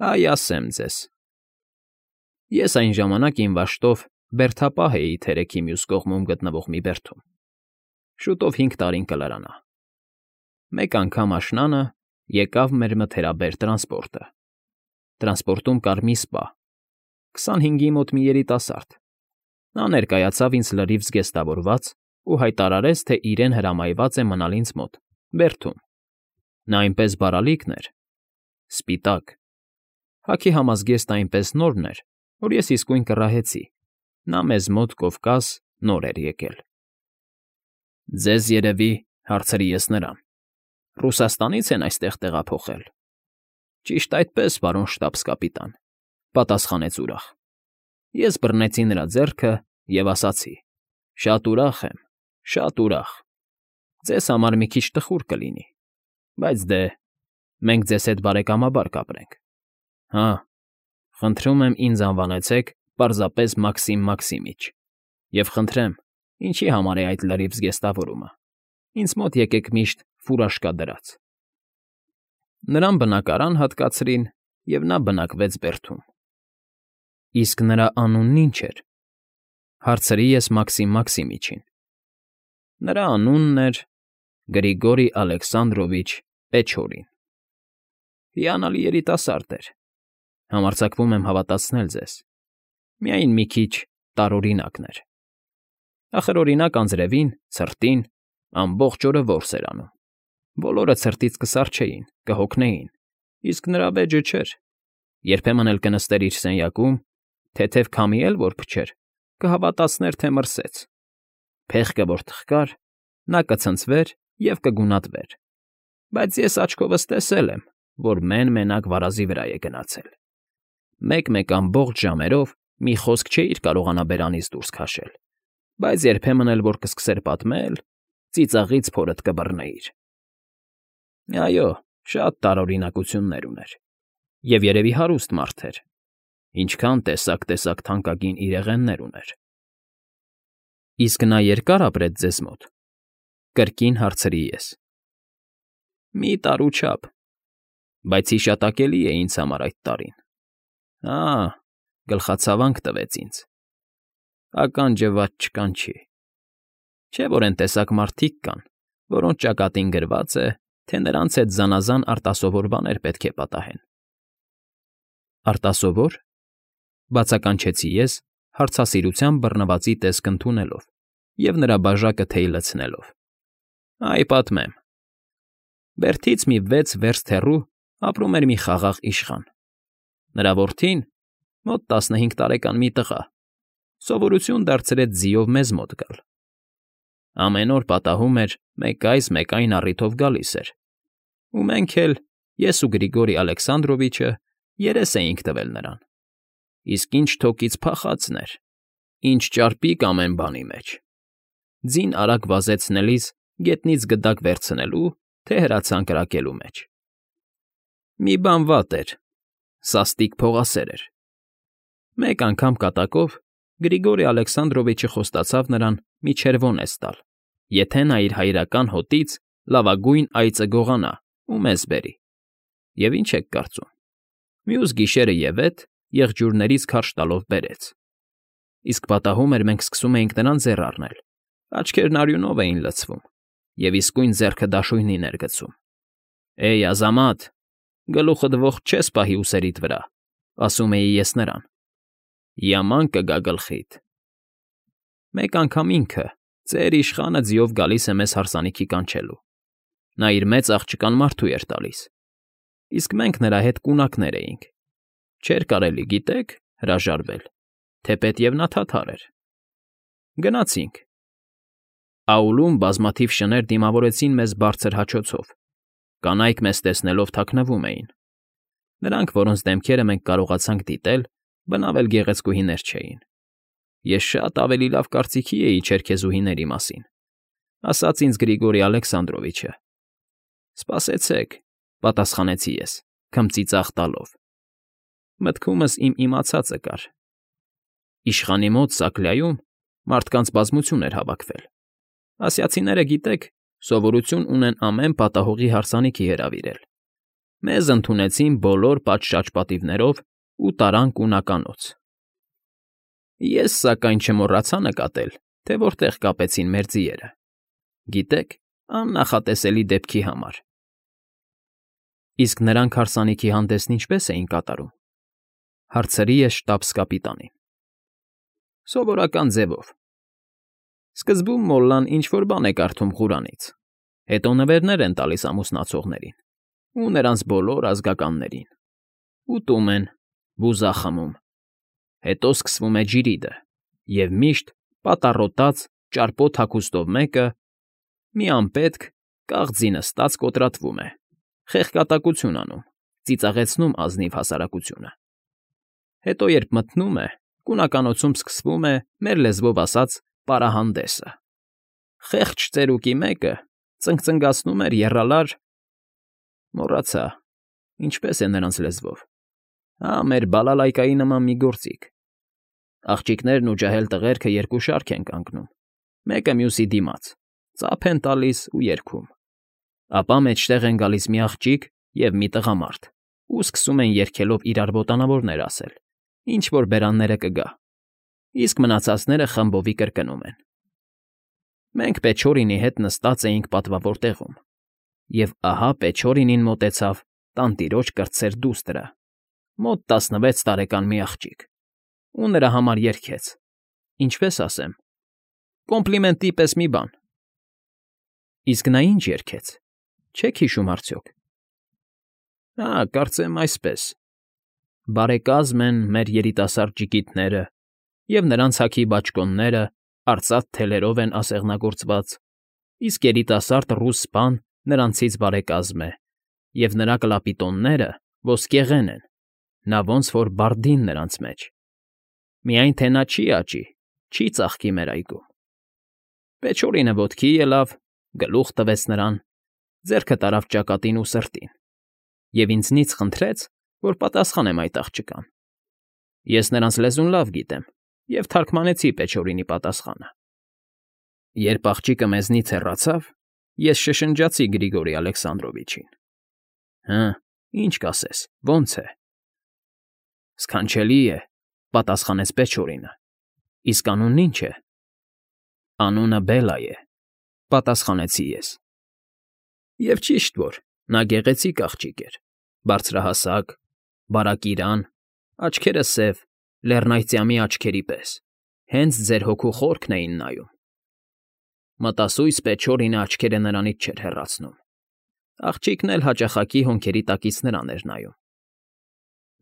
Այ ասեմ ձեզ։ Ես այն ժամանակ իմ վաշտով բերդապահ էի թերեքի մյուս կողմում գտնվող մի բերդում. շուտով 5 տարին կլրանա։ Մեկ անգամ աշնանը եկավ մեր մթերաբեր տրանսպորտը։ Տրանսպորտում կար մի սպա, 25-ի մոտ մի երիտասարդ։ Նա ներկայացավ ինձ լրիվ զգեստավորված ու հայտարարեց, թե իրեն հրամայված է մնալ ինձ մոտ, բերդում։ Նա այնպես բարալիկն էր, սպիտակ։ Հագի համազգեստ այնպես նորն էր, որ ես իսկույն կռահեցի. նա մեզ մոտ Կովկաս նոր էր եկել։ Ձեզ երևի, հարցրի ես նրան, Ռուսաստանից են այստեղ տեղափոխել։ Ճիշտ այդպես, պարոն շտաբս֊կապիտան, պատասխանեց ուրախ։ Ես բռնեցի նրա ձեռքը և ասացի. շատ ուրախ եմ, շատ ուրախ։ Ձեզ համար մի քիչ տխուր կլինի, բայց դե, մենք ձեզ հետ բարեկամաբար կապրենք։ Հա, խնդրում եմ ինձ անվանեցեք պարզապես Մաքսիմ Մաքսիմիչ, և խնդրեմ, ինչի համար է այդ լրիվ զգեստավորումը։ Ինձ մոտ եկեք միշտ ֆուրաշկա դրած։ Նրան բնակարան հատկացրին, և նա բնակվեց բերդում։ Իսկ նրա անունն ի՞նչ էր, հարցրի ես Մաքսիմ Մաքսիմիչին։ Նրա անունն էր Գրիգորի Ալեքսանդրովիչ Պեչորին։ Հիանալի երիտասարդ էր, համարձակվում եմ հավատացնել ձեզ, միայն մի քիչ տարօրինակն էր։ Ախր օրինակ անձրևին, ցրտին, ամբողջ օրը որս էր անում։ Բոլորը ցրտից կսառչեին, կհոգնեին, իսկ նրա վեճը չէր։ Երբեմն էլ կնստեր իր սենյակում, թեթև քամի էլ որ փչեր, կհավատացներ, թե մրսեց։ Փեղկը որ թխկար, նա կցնցվեր և կգունատվեր։ Բայց ես աչքովս տեսել եմ, որ մեն֊մենակ վարազի վրա է գնացել։ Մեկ-մեկ ամբողջ ժամերով մի խոսք չէիր կարողանա բերանից դուրս քաշել, բայց երբեմն էլ որ կսկսեր պատմել, ծիծաղից փորդ կբռնեիր։ Այո, շատ տարօրինակություններ ուներ, և երևի հարուստ մարդ էր, ինչքան տեսակ թանկագին իրեղեններ ուներ։ Իսկ նա երկա՞ր ապրեց ձեզ մոտ, կրկին հարցրի ես։ Մի տարու չափ, բայց հիշատակելի է ինձ համար այդ տարին։ Գլխացավանք տվեց ինձ։ Ականջը վատ չկանչի։ Չէ՞ որ են տեսակ մարդիկ կան, որոնց ճակատին գրված է, թե նրանց հետ զանազան արտասովոր բաներ պետք է պատահեն։ Արտասովո՞ր, բացականչեցի ես, հարցասիրությամբ բռնվածի տեսք ընդունելով և նրա բաժակը թեյ լցնելով։ Այ պատմեմ։ Բերդից մի 6 վերստ հեռու ապրում էր մի խաղաղ իշխան։ Նրա որդին, մոտ 15 տարեկան մի տղա, սովորություն դարձրեց ձիով մեզ մոտ գալ։ Ամեն օր պատահում էր մեկ այս, մեկ այն առիթով գալիս էր, ու մենք էլ, ես ու Գրիգորի Ալեքսանդրովիչը, երես էինք տվել նրան։ Իսկ ինչ թոկից փախածն էր, ինչ ճարպիկ ամեն բանի մեջ։ Ձին արագ վազեցնելիս գետնից գդակ վերցնելու, թե հրացան կրակելու մեջ։ Մի բան վատ էր, սաստիկ փողասեր էր։ Մեկ անգամ կատակով Գրիգորի Ալեքսանդրովիչը խոստացավ նրան մի չերվոնես տալ, եթե նա իր հայրական հոտից լավագույն այծը գողանա ու մեզ բերի։ Եվ ինչ եք կարծում, մյուս գիշերը ևեթ եղջյուրներից քարշ տալով բերեց։ Իսկ պատահում էր մենք սկսում էինք նրան ձեռ առնել, աչքերն արյունով էին լցվում, և իսկույն ձեռքը դաշույնին էր գցում։ Էյ, ազամատ, գլուխդ ողջ չես պահի ուսերիդ վրա, ասում էի ես նրան։ Yaman կգա գլխիդ։ Մեկ անգամ ինքը, ծեր իշխանը ձիով գալիս է մեզ հարսանիքի կանչելու։ Նա իր մեծ աղջկան մարդու էր տալիս, իսկ մենք նրա հետ կունակներ էինք։ Չէր կարելի, գիտեք, հրաժարվել, թեպետև նա թաթար էր։ Գնացինք։ Աուլում բազմաթիվ շներ դիմավորեցին մեզ բարձր հաչոցով, կանայք մեզ տեսնելով թաքնվում էին։ Նրանք, որոնց դեմքերը մենք կարողացանք դիտել, բնավ էլ գեղեցկուհիներ չէին։ Ես շատ ավելի լավ կարծիքի էի չերքեզուհիների մասին, ասաց ինձ Գրիգորի Ալեքսանդրովիչը։ Սպասեցեք, պատասխանեցի ես, քմծիծաղ տալով։ Մտքումս իմ իմացածը կար։ Իշխանի մոտ Սակլյայում մարդկանց բազմություն էր հավաքվել։ Ասիացիները, գիտեք, սովորություն ունեն ամեն պատահողի հարսանիքի հրավիրել։ Մեզ ընդունեցին բոլոր պատշաճ-պատիվներով ու տարան կունականոց։ Ես, սակայն, չմոռացա նկատել, թե որտեղ կապեցին մեր ձիերը։ Գիտեք, աննախատեսելի դեպքի համար։ Իսկ նրանք հարսանիքի հանդեսն ինչպես էին կատարում, հարցրի ես շտաբս֊կապիտանին։ Սովորական ձևով։ Սկզբում մոլլան ինչ֊որ բան է կարդում Ղուրանից, հետո նվերներ են տալիս ամուսնացողներին ու նրանց բոլոր ազգականներին, ուտում են, բուզա խմում, հետո սկսվում է ջիրիդը, և միշտ պատառոտած, ճարպոտ հագուստով մեկը, մի անպետք, կաղձի նստած կոտրատվում է, խեղկատակություն անում, ծիծաղեցնում ազնիվ հասարակությունը։ Հետո, երբ մթնում է, կունականոցում սկսվում է, մեր լեզվով ասած, պարահանդեսը։ Խեղճ ծերուկի մեկը ծնգծնգացնում էր եռալար… Մոռացա, ինչպես է նրանց լեզվով… մեր բալալայկայի նման մի գործիք։ Աղջիկներն ու ջահել տղերքը երկու շարք են կանգնում, մեկը մյուսի դիմաց, ծափ են տալիս ու երգում։ Ապա մեջտեղ են գալիս մի աղջիկ և մի տղամարդ ու սկսում են երգելով իրար ոտանավորներ ասել, ինչ֊որ բերանները կգա, իսկ մնացածները խմբովի կրկնում են։ Մենք Պեչորինի հետ նստած էինք պատվավոր տեղում, և ահա Պեչորինին մոտեցավ տանտիրոջ կրտսեր դուստրը, մոտ 16 տարեկան մի աղջիկ, ու նրա համար երգեց, ինչպես ասեմ, կոմպլիմենտի պես մի բան։ Իսկ նա ինչ երգեց, չեք հիշում արդյոք։ Կարծեմ այսպես. «Բարեկազմ են մեր երիտասարդ ջիգիտները, և նրանց հագի բաճկոնները արծաթ թելերով են ասեղնագործված, իսկ երիտասարդ ռուս սպան նրանցից բարեկազմ է, և նրա կլապիտոնները ոսկեղեն են, նա ոնց որ բարդին նրանց մեջ։ Միայն թե նա չի աճի, չի ծաղկի մեր այգում»։ Պեչորինը ոտքի ելավ, գլուխ տվեց նրան, ձեռքը տարավ ճակատին ու սրտին, և ինձնից խնդրեց, որ պատասխանեմ այդ աղջկան։ Ես նրանց լեզուն լավ գիտեմ և թարգմանեցի Պեչորինի պատասխանը։ Երբ աղջիկը մեզնից հեռացավ, ես շշնջացի Գրիգորի Ալեքսանդրովիչին։ Ինչ կասես, ո՞նց է։ Սքանչելի է, պատասխանեց Պեչորինը։ Իսկ անունն ի՞նչ է։ Անունը Բելա է, պատասխանեցի ես։ Եվ ճիշտ որ, նա գեղեցիկ աղջիկ էր, բարձրահասակ, բարակիրան, աչքերը սև, լեռնայծյամի աչքերի պես, հենց ձեր հոգու խորքն էին նայում։ Մտասույց Պեչորինը աչքերը նրանից չէր հեռացնում։ Աղջիկն էլ հաճախակի հոնքերի տակից նրան էր նայում։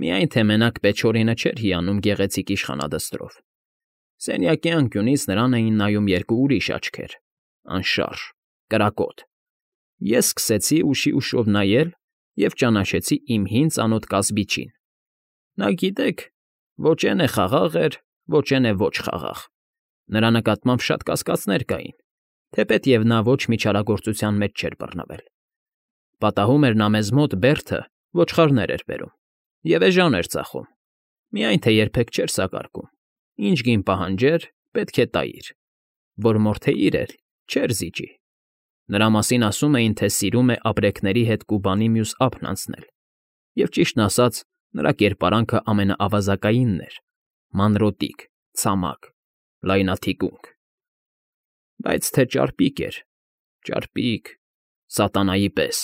Միայն թե մենակ Պեչորինը չէր հիանում գեղեցիկ իշխանադստրով։ Սենյակի անկյունից նրան էին նայում երկու ուրիշ աչքեր, անշարժ, կրակոտ։ Ես սկսեցի ուշի ուշով նայել և ճանաչեցի իմ հին ծանոթ կասբիչին։ Նա, գիտեք, ոչ էն է խաղաղ էր, ոչ էն է ոչ խաղաղ։ Նրա նկատմամբ շատ կասկածներ կային, թեպետև նա ոչ մի չարագործության մեջ չէր բռնվել։ Պատահում էր նա մեզ մոտ բերդը ոչխարներ էր բերում և էժան էր ծախում, միայն թե երբեք չէր սակարկում, ինչ գին պահանջեր, պետք է տայիր, որ մորթեիր էլ, չէր զիջի։ Նրա մասին ասում էին, թե սիրում է ապրեկների հետ Կուբանի մյուս ափն անցնել, և ճիշտն ասած, նրա կերպարանքը ամենաավազակայինն էր, մանրոտիկ, ցամաք, լայնաթիկունք։ Բայց թե ճարպիկ էր, ճարպիկ, սատանայի պես։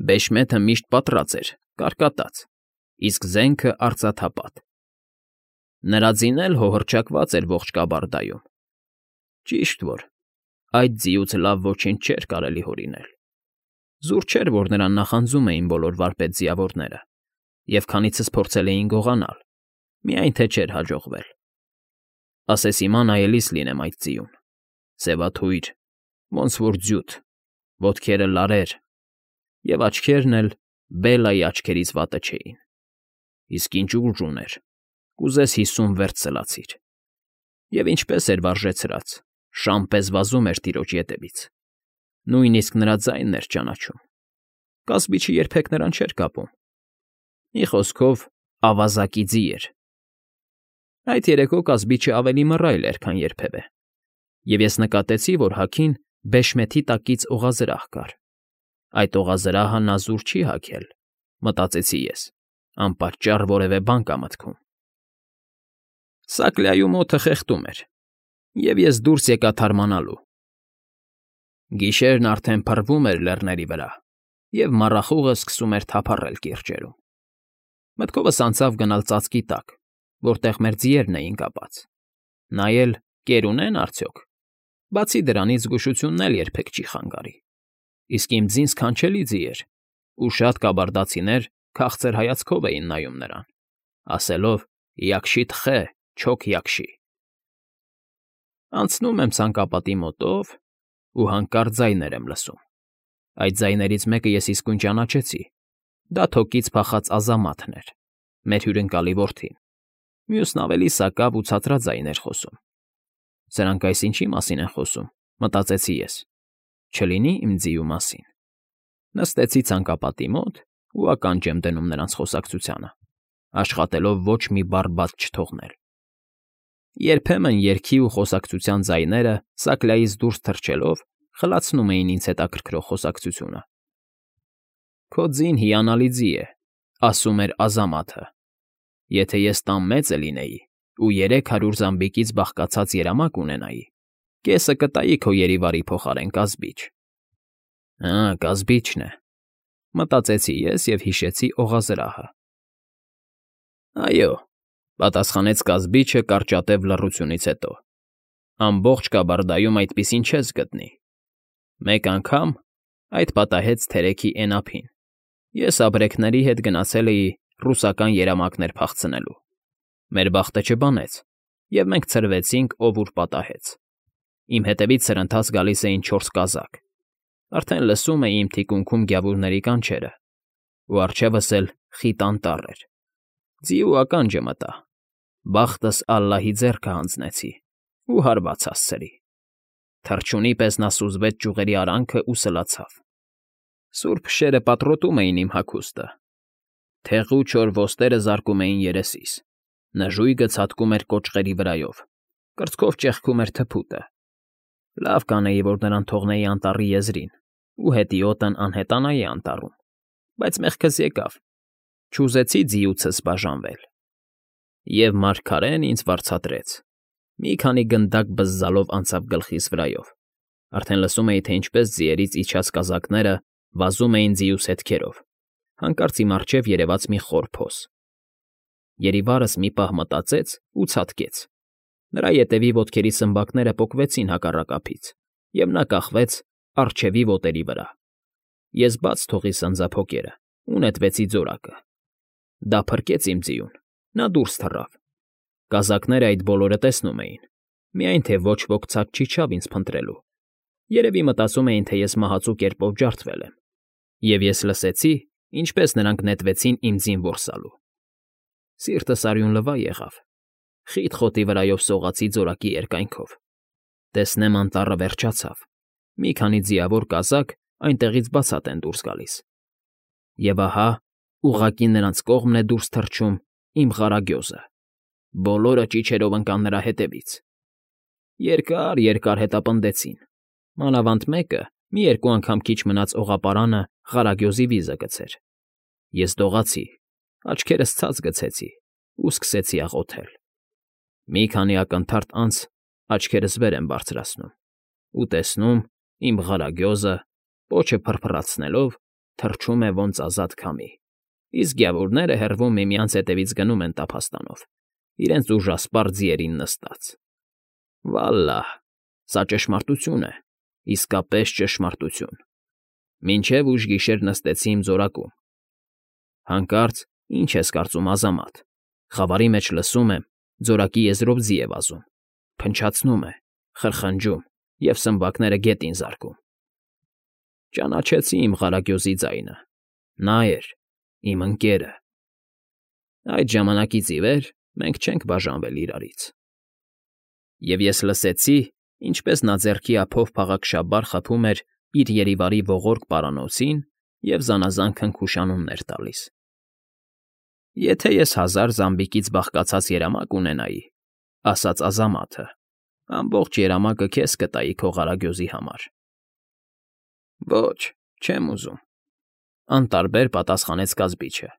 Բեշմեթը միշտ պատռած էր, կարկատած, իսկ զենքը արծաթապատ։ Նրա ձին էլ հոհռչակված էր ողջ կաբարդայում։ Ճիշտ որ, այդ ձիուց լավ ոչինչ չէր կարելի հորինել։ Զուր չէր, որ նրան նախանձում էին բոլոր վարպետ֊ձիավորները, և քանիցս փորձել էին գողանալ, միայն թե չէր հաջողվել։ Ասես հիմա նայելիս լինեմ այդ ձիուն, սևաթույր, ոնց որ ձյութ, ոտքերը լարեր, և աչքերն էլ Բելայի աչքերից վատը չէին։ Իսկ ինչ ուժ ուներ, կուզես 50 վերց սլացիր։ Եվ ինչպես էր վարժեցրած, շան պես վազում էր տիրոջ ետևից։ Նույնիսկ նրա ձայնն էր ճանաչում։ Կասբիչը երբեք նրան չէր կապում։ Մի խոսքով, ավազակի ձի էր։ Այդ երեկո կասբիչը ավելի մռայլ էր, քան երբևէ, և ես նկատեցի, որ հագին բեշմեթի տակից օղազրահ կար։ Այդ օղազրահը նա զուր չի հագել, մտածեցի ես, անպատճառ որևէ բան կա մտքում։ Սակլյայում օդը խեղդում էր, և ես դուրս եկա թարմանալու։ Գիշերն արդեն փռվում էր լեռների վրա, և մառախուղը սկսում էր թափառել կիրճերում։ Մտքովս անցավ գնալ ծածկի տակ, որտեղ մեր ձիերն էին կապած, նայել կեր ունեն արդյոք, բացի դրանից զգուշությունն էլ երբեք չի խանգարի, իսկ իմ ձին սքանչելի ձի էր, ու շատ կաբարդացիներ քաղցր հայացքով էին նայում նրան, ասելով «Յակշի տխե, չոք յակշի»։ Անցնում եմ ցանկապատի մոտով ու հանկարծ ձայներ եմ լսում։ Այդ ձայներից մեկը ես իսկույն ճանաչեցի. դա թոկից փախած Ազամաթն էր, մեր հյուրընկալի որդին, մյուսն ավելի սակավ ու ցածրաձայն էր խոսում։ Սրանք այս ինչի մասին են խոսում, մտածեցի ես, չլինի իմ ձիու մասին։ Նստեցի ցանկապատի մոտ ու ականջ եմ դնում նրանց խոսակցությանը, աշխատելով ոչ մի բառ բաց չթողնել։ Երբեմն երգի ու խոսակցության ձայները սակլայից դուրս թռչելով խլացնում էին ինձ հետաքրքրող խոսակցությունը։ «Քո ձին հիանալի ձի է», ասում էր Ազամաթը։ «Եթե ես տան մեծը լինեի ու 300 զամբիկից բաղկացած երամակ ունենայի, կեսը կտայի քո երիվարի փոխարեն կազբիչ»։ «Հա, կազբիչն է», մտածեցի ես և հիշեցի օղազրահը։ «Այո», պատասխանեց կազբիչը կարճատև լռությունից հետո, «ամբողջ Կաբարդայում այդպիսին չես գտնի։ Մեկ անգամ այդ պատահեց թերեքի էնափին, ես ապրեքների հետ գնացել էի ռուսական երամակներ փախցնելու։ Մեր բախտը չբանեց, և մենք ցրվեցինք ով ուր պատահեց։ Իմ հետևից սրընթաց գալիս էին 4 կազակ, արդեն լսում էի իմ թիկունքում գյավուրների կանչերը, ու առջևս էլ խիտ անտառ էր։ Ձիու ականջը մտա, բախտս ալլահի ձեռքը հանձնեցի ու հարված հասցրի։ Թռչունի պես նա սուզվեց ճյուղերի արանքն ու սլացավ։ Սուր փշերը պատռոտում էին իմ հագուստը, թեղու չոր ոստերը զարկում էին երեսիս, նժույգը ցատկում էր կոճղերի վրայով, կրծքով ճեղքում էր թփուտը։ Լավ կանեի, որ նրան թողնեի անտառի եզրին ու հետիոտն անհետանայի անտառում, բայց մեղքս եկավ, չուզեցի ձիուցս բաժանվել։ Եվ մարգարեն ինձ վարձատրեց։ Մի քանի գնդակ բզզալով անցավ գլխիս վրայով, արդեն լսում էի, թե ինչպես ձիերից իջած կազակները վազում էին ձիուս հետքերով, հանկարծ իմ առջև երևաց մի խոր փոս։ Երիվարս մի պահ մտածեց ու ցատկեց։ Նրա ետևի ոտքերի սմբակները պոկվեցին հակառակ ափից, և նա կախվեց առջևի ոտերի վրա։ Ես բաց թողի սանձափոկերը ու նետվեցի ձորակը։ Դա փրկեց իմ ձիուն, նա դուրս թռավ։ Կազակները այդ բոլորը տեսնում էին, միայն թե ոչ ոք ցած չիջավ ինձ փնտրելու։ Երևի մտածում էին, թե ես մահացու կերպով ջարդվել եմ, և ես լսեցի, ինչպես նրանք նետվեցին իմ ձին որսալու։ Սիրտս արյունլվա եղավ, խիտ խոտի վրայով սողացի ձորակի երկայնքով։ Տեսնեմ անտառը վերջացավ, մի քանի ձիավոր կազակ այնտեղից բացատ են դուրս գալիս։ Եվ ահա ուղղակի նրանց կողմն է դուրս թռչում իմ ղարագյոզը, բոլորը ճիչերով ընկան նրա հետևից։ Երկար հետապնդեցին, մանավանդ մեկը մի երկու անգամ քիչ մնաց օղապարանը ղարագյոզի վիզը գցեր։ Ես դողացի, աչքերս ցած գցեցի ու սկսեցի աղոթել։ Մի քանի ակնթարթ անց աչքերս վեր եմ բարձրացնում ու տեսնում իմ ղարագյոզը, պոչը փրփրացնելով, թռչում է ոնց ազատ քամի, իսկ գյավուրները հեռվում միմյանց հետևից գնում են տափաստանով, իրենց ուժասպառ ձիերին նստած։ Վալլահ, սա ճշմարտություն է, իսկապես ճշմարտություն։ Մինչև ուշ գիշեր նստեցի իմ ձորակում։ Հանկարծ, ինչ ես կարծում, Ազամաթ, խավարի մեջ լսում եմ, ձորակի եզրով ձի է վազում, փնչացնում է, խրխնջում և սմբակները գետին զարկում։ Ճանաչեցի իմ ղարագյոզի ձայնը, նա էր, իմ ընկերը։ Այդ ժամանակից ի վեր մենք չենք բաժանվել իրարից։ Եվ ես լսեցի, ինչպես նա ձեռքի ափով փաղաքշաբար խփում էր իր երիվարի ողորկ պարանոցին և զանազան քնքուշանումներ տալիս։ «Եթե ես 1000 զամբիկից բաղկացած երամակ ունենայի,֊ ասաց Ազամաթը,֊ ամբողջ երամակը քեզ կտայի քո ղարագյոզի համար»։ Ոչ, Չեմ ուզում,֊ անտարբեր պատասխանեց կազբիչը։